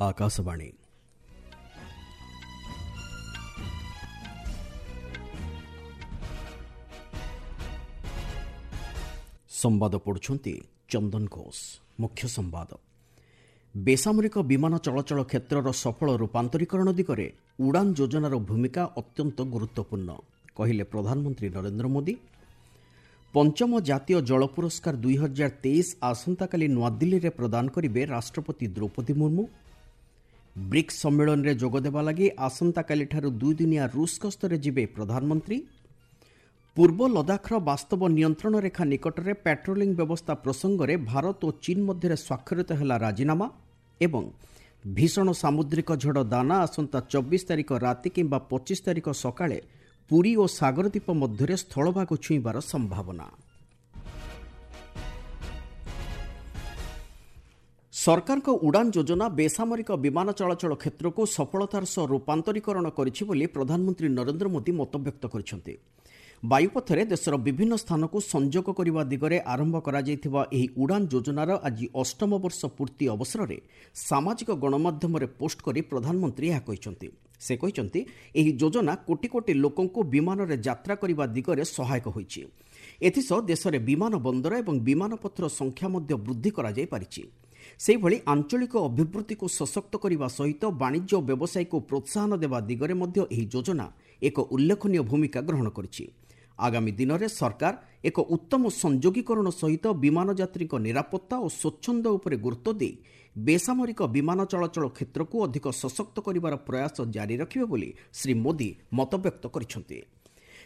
ଆକାଶବାଣୀ। ସମ୍ବାଦ ପଢୁଛନ୍ତି ଚନ୍ଦନ ଘୋଷ। ମୁଖ୍ୟ ସମ୍ବାଦ। ବେସାମରିକ ବିମାନ ଚଳାଚଳ କ୍ଷେତ୍ରର ସଫଳ ରୂପାନ୍ତରୀକରଣ ଦିଗରେ ଉଡ଼ାନ୍ ଯୋଜନାର ଭୂମିକା ଅତ୍ୟନ୍ତ ଗୁରୁତ୍ୱପୂର୍ଣ୍ଣ, କହିଲେ ପ୍ରଧାନମନ୍ତ୍ରୀ ନରେନ୍ଦ୍ର ମୋଦି। ପଞ୍ଚମ ଜାତୀୟ ଜଳ ପୁରସ୍କାର 2023 ଆସନ୍ତାକାଲି ନୂଆଦିଲ୍ଲୀରେ ପ୍ରଦାନ କରିବେ ରାଷ୍ଟ୍ରପତି ଦ୍ରୌପଦୀ ମୁର୍ମୁ। ବ୍ରିକ୍ସ ସମ୍ମିଳନୀରେ ଯୋଗଦେବା ଲାଗି ଆସନ୍ତାକାଲିଠାରୁ ଦୁଇଦିନିଆ ରୁଷ ଗସ୍ତରେ ଯିବେ ପ୍ରଧାନମନ୍ତ୍ରୀ। ପୂର୍ବ ଲଦାଖର ବାସ୍ତବ ନିୟନ୍ତ୍ରଣ ରେଖା ନିକଟରେ ପାଟ୍ରୋଲିଂ ବ୍ୟବସ୍ଥା ପ୍ରସଙ୍ଗରେ ଭାରତ ଓ ଚୀନ୍ ମଧ୍ୟରେ ସ୍ୱାକ୍ଷରିତ ହେଲା ରାଜିନାମା। ଏବଂ ଭୀଷଣ ସାମୁଦ୍ରିକ ଝଡ଼ ଦାନା ଆସନ୍ତା 24 ତାରିଖ ରାତି କିମ୍ବା 25 ତାରିଖ ସକାଳେ ପୁରୀ ଓ ସାଗରଦ୍ୱୀପ ମଧ୍ୟରେ ସ୍ଥଳଭାଗ ଛୁଇଁବାର ସମ୍ଭାବନା। ସରକାରଙ୍କ ଉଡ଼ାନ୍ ଯୋଜନା ବେସାମରିକ ବିମାନ ଚଳାଚଳ କ୍ଷେତ୍ରକୁ ସଫଳତାର ସହ ରୂପାନ୍ତରୀକରଣ କରିଛି ବୋଲି ପ୍ରଧାନମନ୍ତ୍ରୀ ନରେନ୍ଦ୍ର ମୋଦି ମତବ୍ୟକ୍ତ କରିଛନ୍ତି। ବାୟୁପଥରେ ଦେଶର ବିଭିନ୍ନ ସ୍ଥାନକୁ ସଂଯୋଗ କରିବା ଦିଗରେ ଆରମ୍ଭ କରାଯାଇଥିବା ଏହି ଉଡ଼ାନ୍ ଯୋଜନାର ଆଜି ଅଷ୍ଟମ ବର୍ଷ ପୂର୍ତ୍ତି ଅବସରରେ ସାମାଜିକ ଗଣମାଧ୍ୟମରେ ପୋଷ୍ଟ କରି ପ୍ରଧାନମନ୍ତ୍ରୀ ଏହା କହିଛନ୍ତି। ସେ କହିଛନ୍ତି, ଏହି ଯୋଜନା କୋଟି କୋଟି ଲୋକଙ୍କୁ ବିମାନରେ ଯାତ୍ରା କରିବା ଦିଗରେ ସହାୟକ ହୋଇଛି। ଏଥିସହ ଦେଶରେ ବିମାନ ବନ୍ଦର ଏବଂ ବିମାନପଥର ସଂଖ୍ୟା ମଧ୍ୟ ବୃଦ୍ଧି କରାଯାଇପାରିଛି। ସେହିଭଳି ଆଞ୍ଚଳିକ ଅଭିବୃଦ୍ଧିକୁ ସଶକ୍ତ କରିବା ସହିତ ବାଣିଜ୍ୟ ଓ ବ୍ୟବସାୟକୁ ପ୍ରୋତ୍ସାହନ ଦେବା ଦିଗରେ ମଧ୍ୟ ଏହି ଯୋଜନା ଏକ ଉଲ୍ଲେଖନୀୟ ଭୂମିକା ଗ୍ରହଣ କରିଛି। ଆଗାମୀ ଦିନରେ ସରକାର ଏକ ଉତ୍ତମ ସଂଯୋଗୀକରଣ ସହିତ ବିମାନ ଯାତ୍ରୀଙ୍କ ନିରାପତ୍ତା ଓ ସ୍ୱଚ୍ଛନ୍ଦ ଉପରେ ଗୁରୁତ୍ୱ ଦେଇ ବେସାମରିକ ବିମାନ ଚଳାଚଳ କ୍ଷେତ୍ରକୁ ଅଧିକ ସଶକ୍ତ କରିବାର ପ୍ରୟାସ ଜାରି ରଖିବେ ବୋଲି ଶ୍ରୀ ମୋଦି ମତବ୍ୟକ୍ତ କରିଛନ୍ତି।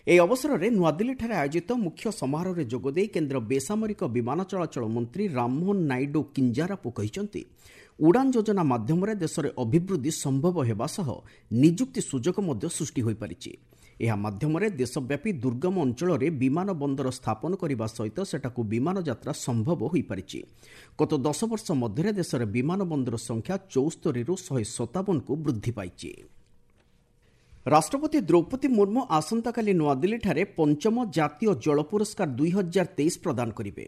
ଏହି ଅବସରରେ ନୂଆଦିଲ୍ଲୀଠାରେ ଆୟୋଜିତ ମୁଖ୍ୟ ସମାରୋହରେ ଯୋଗଦେଇ କେନ୍ଦ୍ର ବେସାମରିକ ବିମାନ ଚଳାଚଳ ମନ୍ତ୍ରୀ ରାମମୋହନ ନାଇଡୁ କିଞ୍ଜାରାପୁ କହିଛନ୍ତି, ଉଡ଼ାନ୍ ଯୋଜନା ମାଧ୍ୟମରେ ଦେଶରେ ଅଭିବୃଦ୍ଧି ସମ୍ଭବ ହେବା ସହ ନିଯୁକ୍ତି ସୁଯୋଗ ମଧ୍ୟ ସୃଷ୍ଟି ହୋଇପାରିଛି। ଏହା ମାଧ୍ୟମରେ ଦେଶବ୍ୟାପୀ ଦୁର୍ଗମ ଅଞ୍ଚଳରେ ବିମାନ ବନ୍ଦର ସ୍ଥାପନ କରିବା ସହିତ ସେଠାକୁ ବିମାନ ଯାତ୍ରା ସମ୍ଭବ ହୋଇପାରିଛି। ଗତ 10 ବର୍ଷ ମଧ୍ୟରେ ଦେଶରେ ବିମାନ ବନ୍ଦର ସଂଖ୍ୟା 74ରୁ 157କୁ ବୃଦ୍ଧି ପାଇଛି। ରାଷ୍ଟ୍ରପତି ଦ୍ରୌପଦୀ ମୁର୍ମୁ ଆସନ୍ତାକାଲି ନୂଆଦିଲ୍ଲୀଠାରେ ପଞ୍ଚମ ଜାତୀୟ ଜଳ ପୁରସ୍କାର 2023 ପ୍ରଦାନ କରିବେ।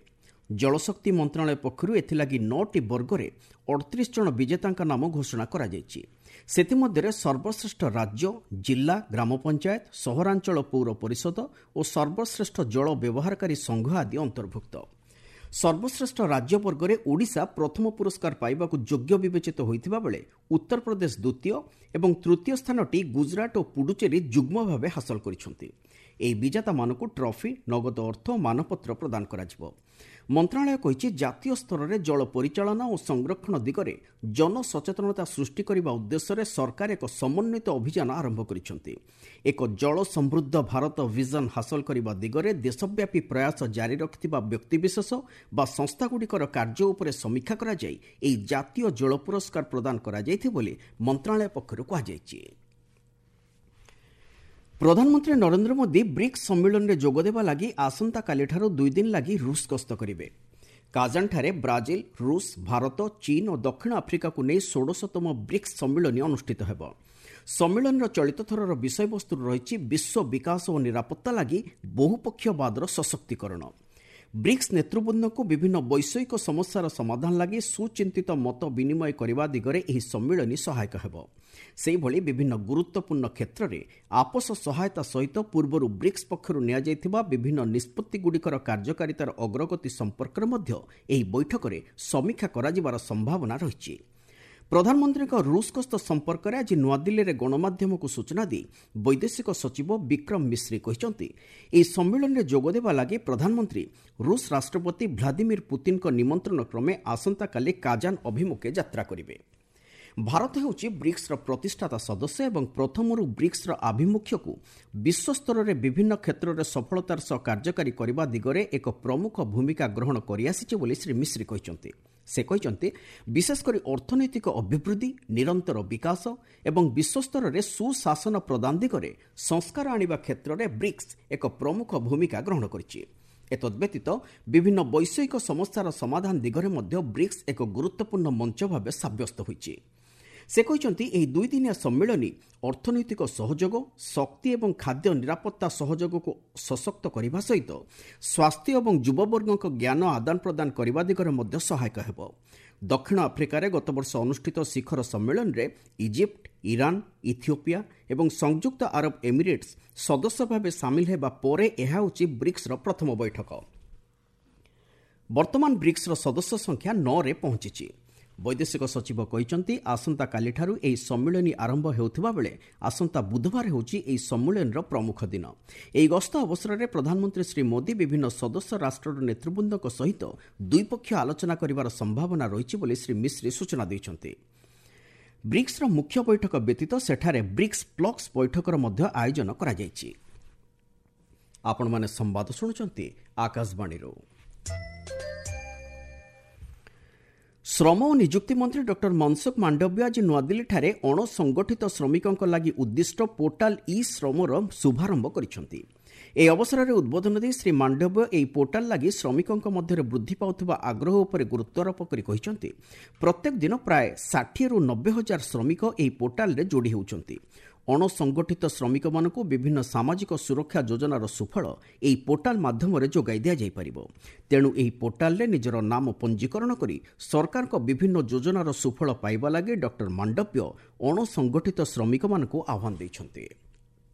ଜଳଶକ୍ତି ମନ୍ତ୍ରଣାଳୟ ପକ୍ଷରୁ ଏଥିଲାଗି 9ଟି ବର୍ଗରେ 38 ଜଣ ବିଜେତାଙ୍କ ନାମ ଘୋଷଣା କରାଯାଇଛି। ସେଥିମଧ୍ୟରେ ସର୍ବଶ୍ରେଷ୍ଠ ରାଜ୍ୟ, ଜିଲ୍ଲା, ଗ୍ରାମ ପଞ୍ଚାୟତ, ସହରାଞ୍ଚଳ ପୌର ପରିଷଦ ଓ ସର୍ବଶ୍ରେଷ୍ଠ ଜଳ ବ୍ୟବହାରକାରୀ ସଂଘ ଆଦି ଅନ୍ତର୍ଭୁକ୍ତ। ସର୍ବଶ୍ରେଷ୍ଠ ରାଜ୍ୟ ବର୍ଗରେ ଓଡ଼ିଶା ପ୍ରଥମ ପୁରସ୍କାର ପାଇବାକୁ ଯୋଗ୍ୟ ବିବେଚିତ ହୋଇଥିବା ବେଳେ ଉତ୍ତରପ୍ରଦେଶ ଦ୍ୱିତୀୟ ଏବଂ ତୃତୀୟ ସ୍ଥାନଟି ଗୁଜରାଟ ଓ ପୁଡୁଚେରୀ ଯୁଗ୍ମ ଭାବେ ହାସଲ କରିଛନ୍ତି। ଏହି ବିଜେତାମାନଙ୍କୁ ଟ୍ରଫି, ନଗଦ ଅର୍ଥ ଓ ମାନପତ୍ର ପ୍ରଦାନ କରାଯିବ। ମନ୍ତ୍ରଣାଳୟ କହିଛି, ଜାତୀୟ ସ୍ତରରେ ଜଳ ପରିଚାଳନା ଓ ସଂରକ୍ଷଣ ଦିଗରେ ଜନସଚେତନତା ସୃଷ୍ଟି କରିବା ଉଦ୍ଦେଶ୍ୟରେ ସରକାର ଏକ ସମନ୍ୱିତ ଅଭିଯାନ ଆରମ୍ଭ କରିଛନ୍ତି। ଏକ ଜଳ ସମୃଦ୍ଧ ଭାରତ ଭିଜନ ହାସଲ କରିବା ଦିଗରେ ଦେଶବ୍ୟାପୀ ପ୍ରୟାସ ଜାରି ରଖିଥିବା ବ୍ୟକ୍ତିବିଶେଷ ବା ସଂସ୍ଥାଗୁଡ଼ିକର କାର୍ଯ୍ୟ ଉପରେ ସମୀକ୍ଷା କରାଯାଇ ଏହି ଜାତୀୟ ଜଳ ପୁରସ୍କାର ପ୍ରଦାନ କରାଯାଇଥିବ ବୋଲି ମନ୍ତ୍ରଣାଳୟ ପକ୍ଷରୁ କୁହାଯାଇଛି। ପ୍ରଧାନମନ୍ତ୍ରୀ ନରେନ୍ଦ୍ର ମୋଦି ବ୍ରିକ୍ସ ସମ୍ମିଳନୀରେ ଯୋଗଦେବା ଲାଗି ଆସନ୍ତାକାଲିଠାରୁ 2 ଦିନ ଲାଗି ରୁଷ ଗସ୍ତ କରିବେ। କାଜାନଠାରେ ବ୍ରାଜିଲ, ରୁଷ, ଭାରତ, ଚୀନ୍ ଓ ଦକ୍ଷିଣ ଆଫ୍ରିକାକୁ ନେଇ 16ତମ ବ୍ରିକ୍ସ ସମ୍ମିଳନୀ ଅନୁଷ୍ଠିତ ହେବ। ସମ୍ମିଳନୀର ଚଳିତ ଥରର ବିଷୟବସ୍ତୁ ରହିଛି ବିଶ୍ୱ ବିକାଶ ଓ ନିରାପତ୍ତା ଲାଗି ବହୁପକ୍ଷବାଦର ସଶକ୍ତିକରଣ। ବ୍ରିକ୍ସ ନେତୃବୃନ୍ଦଙ୍କୁ ବିଭିନ୍ନ ବୈଷୟିକ ସମସ୍ୟାର ସମାଧାନ ଲାଗି ସୁଚିନ୍ତିତ ମତ ବିନିମୟ କରିବା ଦିଗରେ ଏହି ସମ୍ମିଳନୀ ସହାୟକ ହେବ। ସେହିଭଳି ବିଭିନ୍ନ ଗୁରୁତ୍ୱପୂର୍ଣ୍ଣ କ୍ଷେତ୍ରରେ ଆପୋଷ ସହାୟତା ସହିତ ପୂର୍ବରୁ ବ୍ରିକ୍ସ ପକ୍ଷରୁ ନିଆଯାଇଥିବା ବିଭିନ୍ନ ନିଷ୍ପତ୍ତିଗୁଡ଼ିକର କାର୍ଯ୍ୟକାରିତାର ଅଗ୍ରଗତି ସମ୍ପର୍କରେ ମଧ୍ୟ ଏହି ବୈଠକରେ ସମୀକ୍ଷା କରାଯିବାର ସମ୍ଭାବନା ରହିଛି। ପ୍ରଧାନମନ୍ତ୍ରୀଙ୍କ ରୁଷ ଗସ୍ତ ସମ୍ପର୍କରେ ଆଜି ନୂଆଦିଲ୍ଲୀରେ ଗଣମାଧ୍ୟମକୁ ସୂଚନା ଦେଇ ବୈଦେଶିକ ସଚିବ ବିକ୍ରମ ମିଶ୍ରି କହିଛନ୍ତି, ଏହି ସମ୍ମିଳନୀରେ ଯୋଗଦେବା ଲାଗି ପ୍ରଧାନମନ୍ତ୍ରୀ ରୁଷ ରାଷ୍ଟ୍ରପତି ଭ୍ଲାଦିମିର ପୁତିନଙ୍କ ନିମନ୍ତ୍ରଣ କ୍ରମେ ଆସନ୍ତାକାଲି କାଜାନ ଅଭିମୁଖେ ଯାତ୍ରା କରିବେ। ଭାରତ ହେଉଛି ବ୍ରିକ୍ସର ପ୍ରତିଷ୍ଠାତା ସଦସ୍ୟ ଏବଂ ପ୍ରଥମରୁ ବ୍ରିକ୍ସର ଆଭିମୁଖ୍ୟକୁ ବିଶ୍ୱସ୍ତରରେ ବିଭିନ୍ନ କ୍ଷେତ୍ରରେ ସଫଳତାର ସହ କାର୍ଯ୍ୟକାରୀ କରିବା ଦିଗରେ ଏକ ପ୍ରମୁଖ ଭୂମିକା ଗ୍ରହଣ କରିଆସିଛି ବୋଲି ଶ୍ରୀ ମିଶ୍ରି କହିଛନ୍ତି। ସେ କହିଛନ୍ତି, ବିଶେଷକରି ଅର୍ଥନୈତିକ ଅଭିବୃଦ୍ଧି, ନିରନ୍ତର ବିକାଶ ଏବଂ ବିଶ୍ୱସ୍ତରରେ ସୁଶାସନ ପ୍ରଦାନ ଦିଗରେ ସଂସ୍କାର ଆଣିବା କ୍ଷେତ୍ରରେ ବ୍ରିକ୍ସ ଏକ ପ୍ରମୁଖ ଭୂମିକା ଗ୍ରହଣ କରିଛି। ଏତଦ୍ବ୍ୟତୀତ ବିଭିନ୍ନ ବୈଷୟିକ ସମସ୍ୟାର ସମାଧାନ ଦିଗରେ ମଧ୍ୟ ବ୍ରିକ୍ସ ଏକ ଗୁରୁତ୍ୱପୂର୍ଣ୍ଣ ମଞ୍ଚ ଭାବେ ସାବ୍ୟସ୍ତ ହୋଇଛି। ସେ କହିଛନ୍ତି, ଏହି ଦୁଇଦିନିଆ ସମ୍ମିଳନୀ ଅର୍ଥନୈତିକ ସହଯୋଗ, ଶକ୍ତି ଏବଂ ଖାଦ୍ୟ ନିରାପତ୍ତା ସହଯୋଗକୁ ସଶକ୍ତ କରିବା ସହିତ ସ୍ୱାସ୍ଥ୍ୟ ଏବଂ ଯୁବବର୍ଗଙ୍କ ଜ୍ଞାନ ଆଦାନ ପ୍ରଦାନ କରିବା ଦିଗରେ ମଧ୍ୟ ସହାୟକ ହେବ। ଦକ୍ଷିଣ ଆଫ୍ରିକାରେ ଗତବର୍ଷ ଅନୁଷ୍ଠିତ ଶିଖର ସମ୍ମିଳନୀରେ ଇଜିପ୍ଟ, ଇରାନ, ଇଥିଓପିଆ ଏବଂ ସଂଯୁକ୍ତ ଆରବ ଏମିରେଟ୍ସ ସଦସ୍ୟ ଭାବେ ସାମିଲ ହେବା ପରେ ଏହା ହେଉଛି ବ୍ରିକ୍ସର ପ୍ରଥମ ବୈଠକ। ବର୍ତ୍ତମାନ ବ୍ରିକ୍ସର ସଦସ୍ୟ ସଂଖ୍ୟା 9ରେ ପହଞ୍ଚିଛି। ବୈଦେଶିକ ସଚିବ କହିଛନ୍ତି, ଆସନ୍ତାକାଲିଠାରୁ ଏହି ସମ୍ମିଳନୀ ଆରମ୍ଭ ହେଉଥିବା ବେଳେ ଆସନ୍ତା ବୁଧବାର ହେଉଛି ଏହି ସମ୍ମିଳନୀର ପ୍ରମୁଖ ଦିନ। ଏହି ଗସ୍ତ ଅବସରରେ ପ୍ରଧାନମନ୍ତ୍ରୀ ଶ୍ରୀ ମୋଦି ବିଭିନ୍ନ ସଦସ୍ୟ ରାଷ୍ଟ୍ରର ନେତୃବୃନ୍ଦଙ୍କ ସହିତ ଦ୍ୱିପକ୍ଷୀୟ ଆଲୋଚନା କରିବାର ସମ୍ଭାବନା ରହିଛି ବୋଲି ଶ୍ରୀ ମିଶ୍ରି ସୂଚନା ଦେଇଛନ୍ତି। ବ୍ରିକ୍ସର ମୁଖ୍ୟ ବୈଠକ ବ୍ୟତୀତ ସେଠାରେ ବ୍ରିକ୍ସ ପ୍ଲସ୍ ବୈଠକର ମଧ୍ୟ ଆୟୋଜନ କରାଯାଇଛି। ଆପଣମାନେ ସମ୍ବାଦ ଶୁଣୁଛନ୍ତି ଆକାଶବାଣୀରୁ। ଶ୍ରମ ଓ ନିଯୁକ୍ତି ମନ୍ତ୍ରୀ ଡକ୍ଟର ମନସୁଖ ମାଣ୍ଡବ୍ୟ ଆଜି ନୂଆଦିଲ୍ଲୀଠାରେ ଅଣସଂଗଠିତ ଶ୍ରମିକଙ୍କ ଲାଗି ଉଦ୍ଦିଷ୍ଟ ପୋର୍ଟାଲ ଇ ଶ୍ରମର ଶୁଭାରମ୍ଭ କରିଛନ୍ତି। ଏହି ଅବସରରେ ଉଦ୍ବୋଧନ ଦେଇ ଶ୍ରୀ ମାଣ୍ଡବ୍ୟ ଏହି ପୋର୍ଟାଲ ଲାଗି ଶ୍ରମିକଙ୍କ ମଧ୍ୟରେ ବୃଦ୍ଧି ପାଉଥିବା ଆଗ୍ରହ ଉପରେ ଗୁରୁତ୍ୱାରୋପ କରି କହିଛନ୍ତି, ପ୍ରତ୍ୟେକ ଦିନ ପ୍ରାୟ 60ରୁ 90 ହଜାର ଶ୍ରମିକ ଏହି ପୋର୍ଟାଲରେ ଯୋଡ଼ି ହେଉଛନ୍ତି। ଅଣସଂଗଠିତ ଶ୍ରମିକମାନଙ୍କୁ ବିଭିନ୍ନ ସାମାଜିକ ସୁରକ୍ଷା ଯୋଜନାର ସୁଫଳ ଏହି ପୋର୍ଟାଲ ମାଧ୍ୟମରେ ଯୋଗାଇ ଦିଆଯାଇପାରିବ। ତେଣୁ ଏହି ପୋର୍ଟାଲରେ ନିଜର ନାମ ପଞ୍ଜୀକରଣ କରି ସରକାରଙ୍କ ବିଭିନ୍ନ ଯୋଜନାର ସୁଫଳ ପାଇବା ଲାଗି ଡକ୍ଟର ମାଣ୍ଡବ୍ୟ ଅଣସଂଗଠିତ ଶ୍ରମିକମାନଙ୍କୁ ଆହ୍ୱାନ ଦେଇଛନ୍ତି।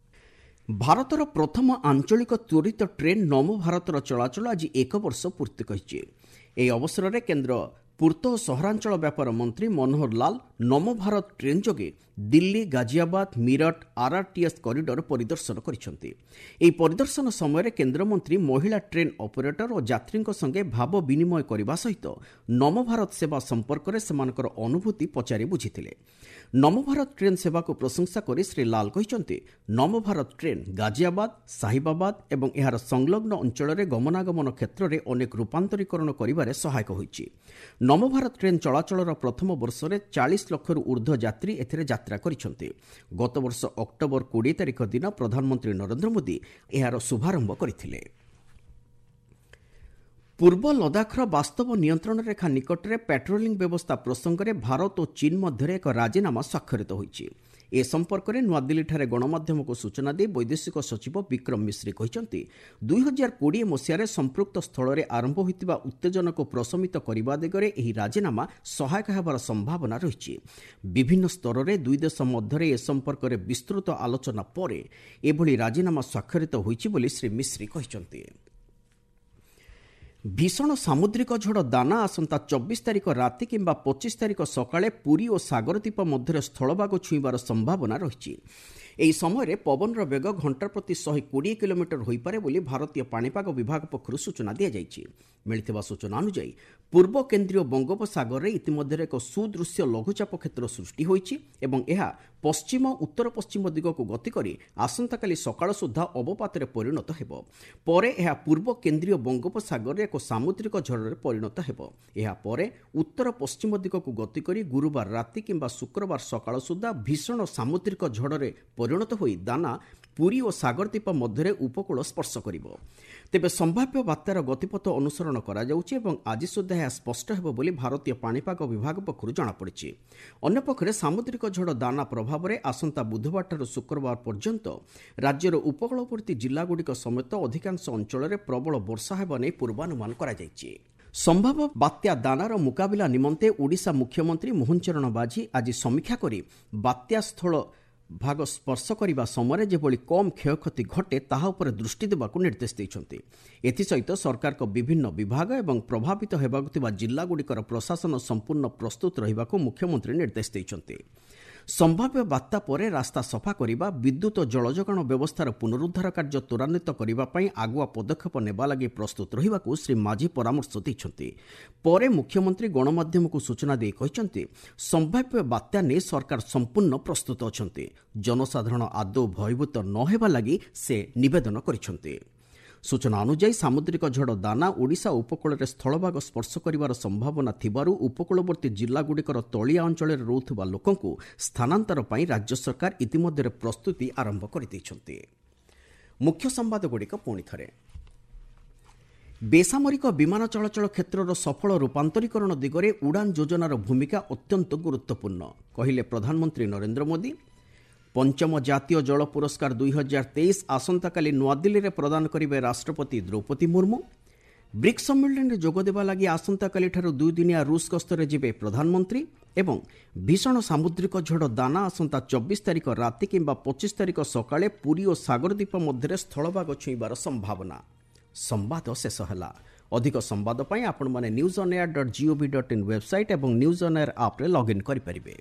ଭାରତର ପ୍ରଥମ ଆଞ୍ଚଳିକ ତ୍ୱରିତ ଟ୍ରେନ୍ ନମୋ ଭାରତର ଚଳାଚଳ ଆଜି 1 ବର୍ଷ ପୂର୍ତ୍ତି କରିଛି। ଏହି ଅବସରରେ କେନ୍ଦ୍ର ପୂର୍ତ୍ତ ଓ ସହରାଞ୍ଚଳ ବ୍ୟାପାର ମନ୍ତ୍ରୀ ମନୋହର ଲାଲ ନମୋ ଭାରତ ଟ୍ରେନ୍ ଯୋଗେ ଦିଲ୍ଲୀ, ଗାଜିଆବାଦ, ମିରଟ ଆର୍ଆର୍ଟିଏସ୍ କରିଡର ପରିଦର୍ଶନ କରିଛନ୍ତି। ଏହି ପରିଦର୍ଶନ ସମୟରେ କେନ୍ଦ୍ରମନ୍ତ୍ରୀ ମହିଳା ଟ୍ରେନ୍ ଅପରେଟର ଓ ଯାତ୍ରୀଙ୍କ ସଙ୍ଗେ ଭାବ ବିନିମୟ କରିବା ସହିତ ନମୋ ଭାରତ ସେବା ସମ୍ପର୍କରେ ସେମାନଙ୍କର ଅନୁଭୂତି ପଚାରି ବୁଝିଥିଲେ। ନମୋ ଭାରତ ଟ୍ରେନ୍ ସେବାକୁ ପ୍ରଶଂସା କରି ଶ୍ରୀ ଲାଲ କହିଛନ୍ତି, ନମୋ ଭାରତ ଟ୍ରେନ୍ ଗାଜିଆବାଦ, ସାହିବାବାଦ ଏବଂ ଏହାର ସଂଲଗ୍ନ ଅଞ୍ଚଳରେ ଗମନାଗମନ କ୍ଷେତ୍ରରେ ଅନେକ ରୂପାନ୍ତରୀକରଣ କରିବାରେ ସହାୟକ ହୋଇଛି। ନମୋ ଭାରତ ଟ୍ରେନ୍ ଚଳାଚଳର ପ୍ରଥମ ବର୍ଷରେ 40 ଲକ୍ଷରୁ ଉର୍ଦ୍ଧ୍ୱ ଯାତ୍ରୀ ଏଥିରେ ଯାତ୍ରା କରିଛନ୍ତି। ଗତବର୍ଷ ଅକ୍ଟୋବର 20 ତାରିଖ ଦିନ ପ୍ରଧାନମନ୍ତ୍ରୀ ନରେନ୍ଦ୍ର ମୋଦି ଏହାର ଶୁଭାରମ୍ଭ କରିଥିଲେ। ପୂର୍ବ ଲଦାଖର ବାସ୍ତବ ନିୟନ୍ତ୍ରଣ ରେଖା ନିକଟରେ ପାଟ୍ରୋଲିଂ ବ୍ୟବସ୍ଥା ପ୍ରସଙ୍ଗରେ ଭାରତ ଓ ଚୀନ୍ ମଧ୍ୟରେ ଏକ ରାଜିନାମା ସ୍ୱାକ୍ଷରିତ ହୋଇଛି। ଏ ସମ୍ପର୍କରେ ନୂଆଦିଲ୍ଲୀଠାରେ ଗଣମାଧ୍ୟମକୁ ସୂଚନା ଦେଇ ବୈଦେଶିକ ସଚିବ ବିକ୍ରମ ମିଶ୍ରି କହିଛନ୍ତି, 2020 ମସିହାରେ ସମ୍ପୃକ୍ତ ସ୍ଥଳରେ ଆରମ୍ଭ ହୋଇଥିବା ଉତ୍ତେଜନାକୁ ପ୍ରଶମିତ କରିବା ଦିଗରେ ଏହି ରାଜିନାମା ସହାୟକ ହେବାର ସମ୍ଭାବନା ରହିଛି। ବିଭିନ୍ନ ସ୍ତରରେ ଦୁଇ ଦେଶ ମଧ୍ୟରେ ଏ ସମ୍ପର୍କରେ ବିସ୍ତୃତ ଆଲୋଚନା ପରେ ଏଭଳି ରାଜିନାମା ସ୍ୱାକ୍ଷରିତ ହୋଇଛି ବୋଲି ଶ୍ରୀ ମିଶ୍ରି କହିଛନ୍ତି। ଭୀଷଣ ସାମୁଦ୍ରିକ ଝଡ଼ ଦାନା ଆସନ୍ତା 24 ତାରିଖ ରାତି କିମ୍ବା 25 ତାରିଖ ସକାଳେ ପୁରୀ ଓ ସାଗରଦ୍ୱୀପ ମଧ୍ୟରେ ସ୍ଥଳଭାଗ ଛୁଇଁବାର ସମ୍ଭାବନା ରହିଛି। ଏହି ସମୟରେ ପବନର ବେଗ ଘଣ୍ଟା ପ୍ରତି 120 କିଲୋମିଟର ହୋଇପାରେ ବୋଲି ଭାରତୀୟ ପାଣିପାଗ ବିଭାଗ ପକ୍ଷରୁ ସୂଚନା ଦିଆଯାଇଛି। ମିଳିଥିବା ସୂଚନା ଅନୁଯାୟୀ ପୂର୍ବ କେନ୍ଦ୍ରୀୟ ବଙ୍ଗୋପସାଗରରେ ଇତିମଧ୍ୟରେ ଏକ ସୁଦୃଶ୍ୟ ଲଘୁଚାପ କ୍ଷେତ୍ର ସୃଷ୍ଟି ହୋଇଛି ଏବଂ ଏହା ପଶ୍ଚିମ ଉତ୍ତର ପଶ୍ଚିମ ଦିଗକୁ ଗତି କରି ଆସନ୍ତାକାଲି ସକାଳ ସୁଦ୍ଧା ଅବପାତରେ ପରିଣତ ହେବ। ପରେ ଏହା ପୂର୍ବ କେନ୍ଦ୍ରୀୟ ବଙ୍ଗୋପସାଗରରେ ଏକ ସାମୁଦ୍ରିକ ଝଡ଼ରେ ପରିଣତ ହେବ। ଏହାପରେ ଉତ୍ତର ପଶ୍ଚିମ ଦିଗକୁ ଗତି କରି ଗୁରୁବାର ରାତି କିମ୍ବା ଶୁକ୍ରବାର ସକାଳ ସୁଦ୍ଧା ଭୀଷଣ ସାମୁଦ୍ରିକ ଝଡ଼ରେ ପରିଣତ ହୋଇ ଦାନା ପୁରୀ ଓ ସାଗରଦ୍ୱୀପ ମଧ୍ୟରେ ଉପକୂଳ ସ୍ପର୍ଶ କରିବ। ତେବେ ସମ୍ଭାବ୍ୟ ବାତ୍ୟାର ଗତିପଥ ଅନୁସରଣ କରାଯାଉଛି ଏବଂ ଆଜି ସୁଦ୍ଧା ଏହା ସ୍ପଷ୍ଟ ହେବ ବୋଲି ଭାରତୀୟ ପାଣିପାଗ ବିଭାଗ ପକ୍ଷରୁ ଜଣାପଡ଼ିଛି। ଅନ୍ୟପକ୍ଷରେ ସାମୁଦ୍ରିକ ଝଡ଼ ଦାନା ପ୍ରଭାବରେ ଆସନ୍ତା ବୁଧବାରଠାରୁ ଶୁକ୍ରବାର ପର୍ଯ୍ୟନ୍ତ ରାଜ୍ୟର ଉପକୂଳବର୍ତ୍ତୀ ଜିଲ୍ଲାଗୁଡ଼ିକ ସମେତ ଅଧିକାଂଶ ଅଞ୍ଚଳରେ ପ୍ରବଳ ବର୍ଷା ହେବା ନେଇ ପୂର୍ବାନୁମାନ କରାଯାଇଛି। ସମ୍ଭାବ୍ୟ ବାତ୍ୟା ଦାନାର ମୁକାବିଲା ନିମନ୍ତେ ଓଡ଼ିଶା ମୁଖ୍ୟମନ୍ତ୍ରୀ ମୋହନ ଚରଣ ମାଝୀ ଆଜି ସମୀକ୍ଷା କରି ବାତ୍ୟା ସ୍ଥଳ ଭାଗ ସ୍ପର୍ଶ କରିବା ସମୟରେ ଯେଭଳି କମ୍ କ୍ଷୟକ୍ଷତି ଘଟେ ତାହା ଉପରେ ଦୃଷ୍ଟି ଦେବାକୁ ନିର୍ଦ୍ଦେଶ ଦେଇଛନ୍ତି। ଏଥିସହିତ ସରକାରଙ୍କ ବିଭିନ୍ନ ବିଭାଗ ଏବଂ ପ୍ରଭାବିତ ହେବାକୁ ଥିବା ଜିଲ୍ଲାଗୁଡ଼ିକର ପ୍ରଶାସନ ସମ୍ପୂର୍ଣ୍ଣ ପ୍ରସ୍ତୁତ ରହିବାକୁ ମୁଖ୍ୟମନ୍ତ୍ରୀ ନିର୍ଦ୍ଦେଶ ଦେଇଛନ୍ତି। ସମ୍ଭାବ୍ୟ ବାତ୍ୟା ପରେ ରାସ୍ତା ସଫା କରିବା, ବିଦ୍ୟୁତ୍ ଓ ଜଳଯୋଗାଣ ବ୍ୟବସ୍ଥାର ପୁନରୁଦ୍ଧାର କାର୍ଯ୍ୟ ତ୍ୱରାନ୍ୱିତ କରିବା ପାଇଁ ଆଗୁଆ ପଦକ୍ଷେପ ନେବା ଲାଗି ପ୍ରସ୍ତୁତ ରହିବାକୁ ଶ୍ରୀ ମାଝୀ ପରାମର୍ଶ ଦେଇଛନ୍ତି। ପରେ ମୁଖ୍ୟମନ୍ତ୍ରୀ ଗଣମାଧ୍ୟମକୁ ସୂଚନା ଦେଇ କହିଛନ୍ତି, ସମ୍ଭାବ୍ୟ ବାତ୍ୟା ନେଇ ସରକାର ସମ୍ପୂର୍ଣ୍ଣ ପ୍ରସ୍ତୁତ ଅଛନ୍ତି। ଜନସାଧାରଣ ଆଦୌ ଭୟଭୀତ ନ ହେବା ଲାଗି ସେ ନିବେଦନ କରିଛନ୍ତି। ସୂଚନା ଅନୁଯାୟୀ ସାମୁଦ୍ରିକ ଝଡ଼ ଦାନା ଓଡ଼ିଶା ଉପକୂଳରେ ସ୍ଥଳଭାଗ ସ୍ପର୍ଶ କରିବାର ସମ୍ଭାବନା ଥିବାରୁ ଉପକୂଳବର୍ତ୍ତୀ ଜିଲ୍ଲାଗୁଡ଼ିକର ତଳିଆ ଅଞ୍ଚଳରେ ରହୁଥିବା ଲୋକଙ୍କୁ ସ୍ଥାନାନ୍ତର ପାଇଁ ରାଜ୍ୟ ସରକାର ଇତିମଧ୍ୟରେ ପ୍ରସ୍ତୁତି ଆରମ୍ଭ କରିଦେଇଛନ୍ତି। ମୁଖ୍ୟ ସମ୍ବାଦଗୁଡ଼ିକ ପୁଣି ଥରେ। ବେସାମରିକ ବିମାନ ଚଳାଚଳ କ୍ଷେତ୍ରର ସଫଳ ରୂପାନ୍ତରୀକରଣ ଦିଗରେ ଉଡ଼ାନ୍ ଯୋଜନାର ଭୂମିକା ଅତ୍ୟନ୍ତ ଗୁରୁତ୍ୱପୂର୍ଣ୍ଣ, କହିଲେ ପ୍ରଧାନମନ୍ତ୍ରୀ ନରେନ୍ଦ୍ର ମୋଦି। ପଞ୍ଚମ ଜାତୀୟ ଜଳ ପୁରସ୍କାର 2023 ଆସନ୍ତାକାଲି ନୂଆଦିଲ୍ଲୀରେ ପ୍ରଦାନ କରିବେ ରାଷ୍ଟ୍ରପତି ଦ୍ରୌପଦୀ ମୁର୍ମୁ। ବ୍ରିକ୍ସ ସମ୍ମିଳନୀରେ ଯୋଗଦେବା ଲାଗି ଆସନ୍ତାକାଲିଠାରୁ ଦୁଇଦିନିଆ ରୁଷ ଗସ୍ତରେ ଯିବେ ପ୍ରଧାନମନ୍ତ୍ରୀ ଏବଂ ଭୀଷଣ ସାମୁଦ୍ରିକ ଝଡ଼ ଦାନା ଆସନ୍ତା 24 ତାରିଖ ରାତି କିମ୍ବା 25 ତାରିଖ ସକାଳେ ପୁରୀ ଓ ସାଗରଦ୍ୱୀପ ମଧ୍ୟରେ ସ୍ଥଳଭାଗ ଛୁଇଁବାର ସମ୍ଭାବନା। ସମ୍ବାଦ ଶେଷ ହେଲା। ଅଧିକ ସମ୍ବାଦ ପାଇଁ ଆପଣମାନେ news on air dot gov dot in website ଏବଂ ନ୍ୟୁଜ୍ ଅନ୍ ଏୟାର ଆପ୍ରେ ଲଗ୍ଇନ୍ କରିପାରିବେ।